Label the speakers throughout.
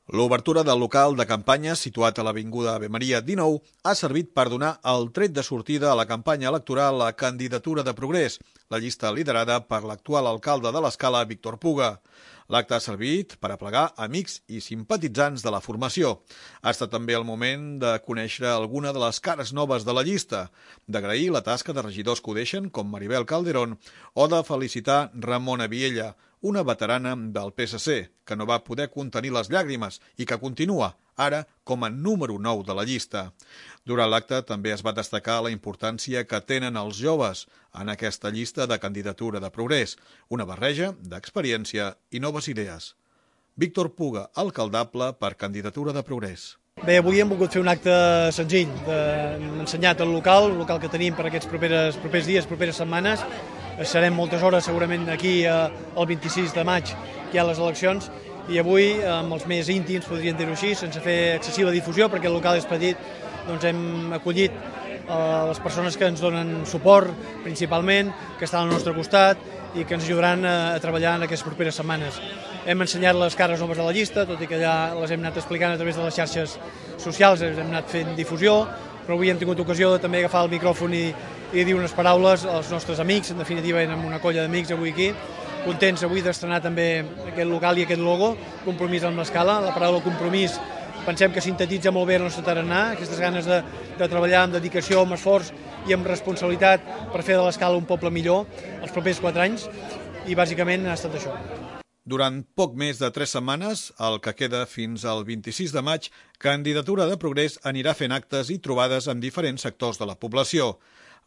Speaker 1: L'obertura del local de campanya situat a l'Avinguda Ave Maria 19 ha servit per donar el tret de sortida a la campanya electoral a Candidatura de Progrés, la llista liderada per l'actual alcalde de l'Escala, Víctor Puga. L'acte ha servit per aplegar amics i simpatitzants de la formació. Ha estat també el moment de conèixer alguna de les cares noves de la llista, d'agrair la tasca de regidors que ho deixen, com Maribel Calderón, o de felicitar Ramona Viella, una veterana del PSC, que no va poder contenir les llàgrimes i que continua, ara, com a número 9 de la llista. Durant l'acte també es va destacar la importància que tenen els joves en aquesta llista de Candidatura de Progrés, una barreja d'experiència i noves idees. Víctor Puga, alcaldable per Candidatura de Progrés.
Speaker 2: Bé, avui hem volgut fer un acte senzill. Hem ensenyat el local que tenim per aquests propers dies, properes setmanes. Serem moltes hores segurament aquí el 26 de maig, que hi ha les eleccions, i avui, amb els més íntims, podríem dir-ho així, sense fer excessiva difusió, perquè el local és petit, doncs hem acollit les persones que ens donen suport, principalment, que estan al nostre costat i que ens ajudaran a treballar en aquestes properes setmanes. Hem ensenyat les cares noves de la llista, tot i que ja les hem anat explicant a través de les xarxes socials, hem anat fent difusió, però avui hem tingut ocasió de també agafar el micròfon i dir unes paraules als nostres amics. En definitiva, érem una colla d'amics avui aquí, contents avui d'estrenar també aquest local i aquest logo, Compromís amb l'Escala. La paraula compromís pensem que sintetitza molt bé el nostre tarannà, aquestes ganes de treballar amb dedicació, amb esforç i amb responsabilitat per fer de l'Escala un poble millor els propers 4 anys, i bàsicament ha estat això.
Speaker 1: Durant poc més de 3 setmanes, el que queda fins al 26 de maig, Candidatura de Progrés anirà fent actes i trobades amb diferents sectors de la població.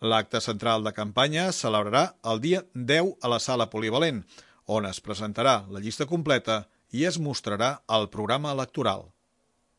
Speaker 1: L'acte central de campanya es celebrarà el dia 10 a la Sala Polivalent, on es presentarà la llista completa i es mostrarà el programa electoral.